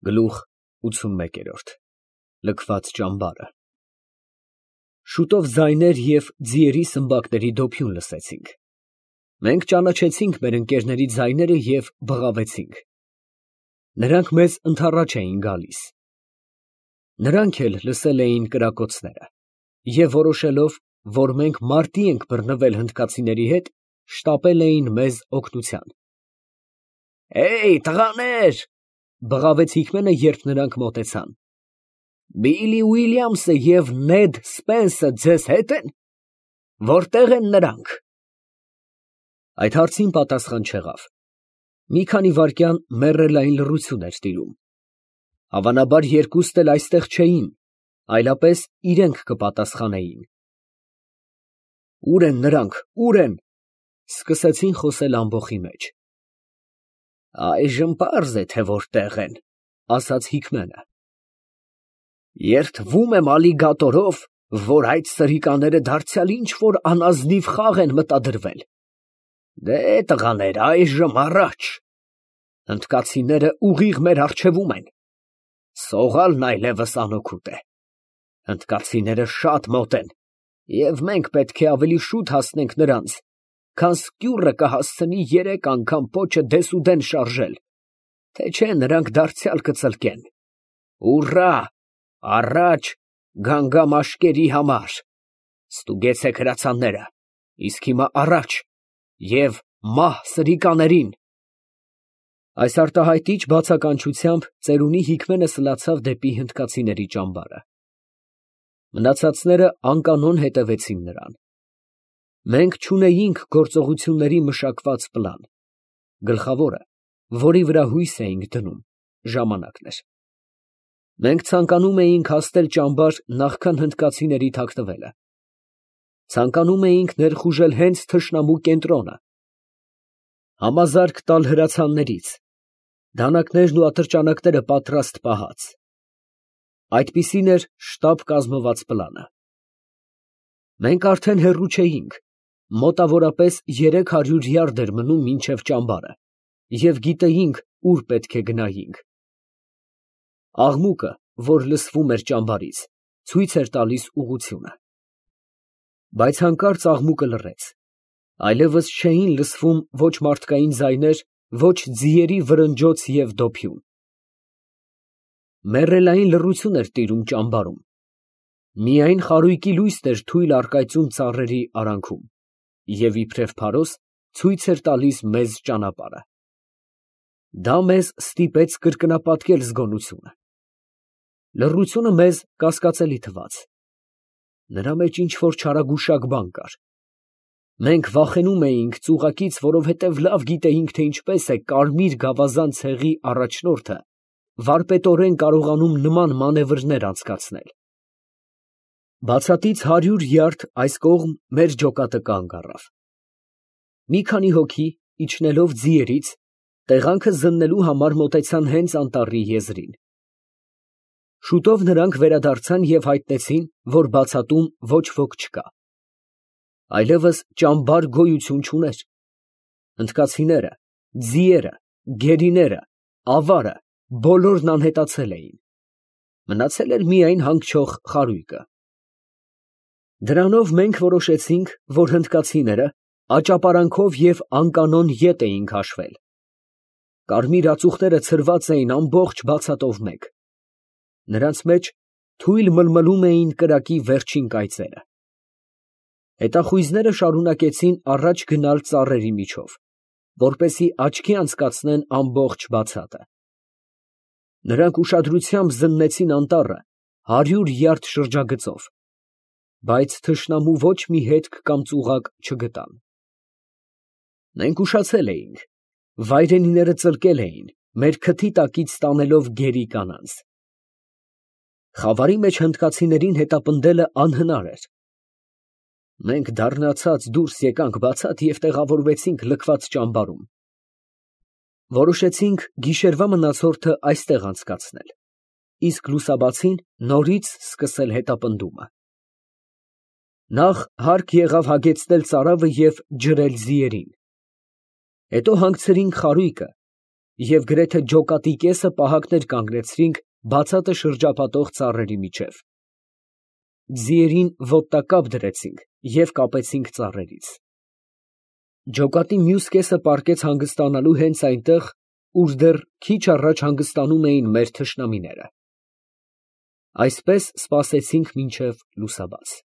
Գլուխ 81 Լքված ճամբարը։ Շուտով ձայներ և ձիերի սմբակների դոփյուն լսեցինք։ Մենք ճանաչեցինք մեր ընկերների ձայները և բղավեցինք։ Նրանք մեզ ընդառաջ էին գալիս։ Նրանք էլ լսել էին կրակոցները և որոշելով, որ մենք մարտի ենք բռնվել հնդկացիների հետ, շտապել էին մեզ օգնության։ «Հեյ, տղաներ», բղավեց Հիքմենը, երբ նրանք մոտեցան, «Բիլլի Ուիլյամսը և Նեդ Սպենսը ձեզ հետ են, որտե՞ղ են նրանք»։ Այդ հարցին պատասխան չեղավ։ Մի քանի վայրկյան մեռելային լռություն էր տիրում։ Հավանաբար երկուստ էլ այստեղ չէին, այլապես իրենք կպատասխանեին։ «Ո՞ւր են նրանք, ո՞ւր են», սկսեցին խոսել ամբոխի մեջ։ «Այժմ պարզ է, թե որտեղ են», ասաց Հիքմենը։ «Երդվում եմ ալիգատորով, որ այդ սրիկաները դարձյալ ինչ֊որ անազնիվ խաղ են մտադրվել։ Դե, տղաներ, այժմ առաջ, հնդկացիները ուղիղ մեր առջևում են, սողալն այլևս անօգուտ է, հնդկացիները շատ մոտ են, և մենք պետք է ավելի շուտ հասնենք նրանց, քան սկյուռը կհասցնի 3 անգամ պոչը դեսուդեն շարժել, թե չէ նրանք դարձյալ կծլկեն։ Ուռա, առաջ, գանգամաշկերի համար, ստուգեցեք հրացանները, իսկ հիմա առաջ և մահ սրիկաներին»։ Այս արտահայտիչ բացականչությամբ ծերունի Հիքմենը սլացավ դեպի հնդկացիների ճամբարը։ Մնացածները անկանոն հետևեցին նրան։ Մենք չունեինք գործողությունների մշակված պլան, գլխավորը, որի վրա հույս էինք դնում, ժամանակն էր։ Մենք ցանկանում էինք հասնել ճամբար նախքան հնդկացիների թաքնվելը։ Ցանկանում էինք ներխուժել հենց թշնամու կենտրոնը, համազարկ տալ հրացաններից, դանակներն ու ատրճանակները պատրաստ պահած։ Այդպիսին էր շտապ կազմված պլանը։ Մենք արդեն հեռու չէինք, մոտավորապես 300 յարդ էր մնում մինչև ճամբարը, և գիտեինք ուր պետք է գնայինք։ Աղմուկը, որ լսվում էր ճամբարից, ցույց էր տալիս ուղղությունը։ Բայց հանկարծ աղմուկը լռեց, այլևս չէին լսվում ոչ մարդկային ձայներ, ոչ ձիերի վրնջոց և դոփյուն։ Մեռելային լռություն էր տիրում ճամբարում, միայն խարույկի լույսն էր թույլ առկայծում ծառերի արանքում և իբրև փարոս ցույց էր տալիս մեզ ճանապարհը։ Դա մեզ ստիպեց կրկնապատկել զգոնությունը։ Լռությունը մեզ կասկածելի թվաց։ Նրա մեջ ինչ֊որ չարագուշակ բան կար։ Մենք վախենում էինք ծուղակից, որովհետև լավ գիտեինք, թե ինչպես է կարմիր գավազան ցեղի առաջնորդը վարպետորեն կարողանում նման մանևրներ անցկացնել։ Բացատից 100 յարդ այս կողմ մեր ջոկատը կանգ առավ։ Մի քանի հոգի, իջնելով ձիերից, տեղանքը զննելու համար մոտեցան հենց անտառի եզրին։ Շուտով նրանք վերադարձան և հայտնեցին, որ բացատում ոչ ոք չկա։ Այլևս ճամբար գոյություն չուներ։ Հնդկացիները, ձիերը, գերիները, ավարը բոլորն անհետացել էին։ Մնացել էր միայն հանգչող խարույկը։ Դրանով մենք որոշեցինք, որ հնդկացիները աճապարանքով և անկանոն ետ էին քաշվել։ Կարմիր ածուխները ցրված էին ամբողջ բացատով մեկ։ Նրանց մեջ թույլ մլմլում էին կրակի վերջին կայծերը։ Հետախույզները շարունակեցին առաջ գնալ ծառերի միջով, որպեսզի աչքի անցկացնեն ամբողջ բացատը։ Նրանք ուշադրությամբ զննեցին անտառը 100 յարդ շրջագծով, բայց թշնամու ոչ մի հետք կամ ծուղակ չգտան։ Մենք ուշացել էինք, վայրենիները ծլկել էին, մեր քթի տակից տանելով գերի կանանց։ Խավարի մեջ հնդկացիներին հետապնդելը անհնար էր։ Մենք դառնացած դուրս եկանք բացատ և տեղավորվեցինք լքված ճամբարում։ Որոշեցինք գիշերվա մնացորդը այստեղ անցկացնել, իսկ լուսաբացին նորից սկսել հետապնդումը։ Նախ հարկ եղավ հագեցնել ծարավը և ջրել ձիերին։ Հետո հանգցրինք խարույկը և գրեթե ջոկատի կեսը պահակներ կանգնեցրինք բացատը շրջապատող ծառերի միջև. ձիերին ոտնակապ դրեցինք և կապեցինք ծառերից. ջոկատի մյուս կեսը պառկեց հանգստանալու հենց այնտեղ, ուր դեռ քիչ առաջ հանգստանում էին մեր թշնամիները. այսպես սպասեցինք մինչև լուսաբաց։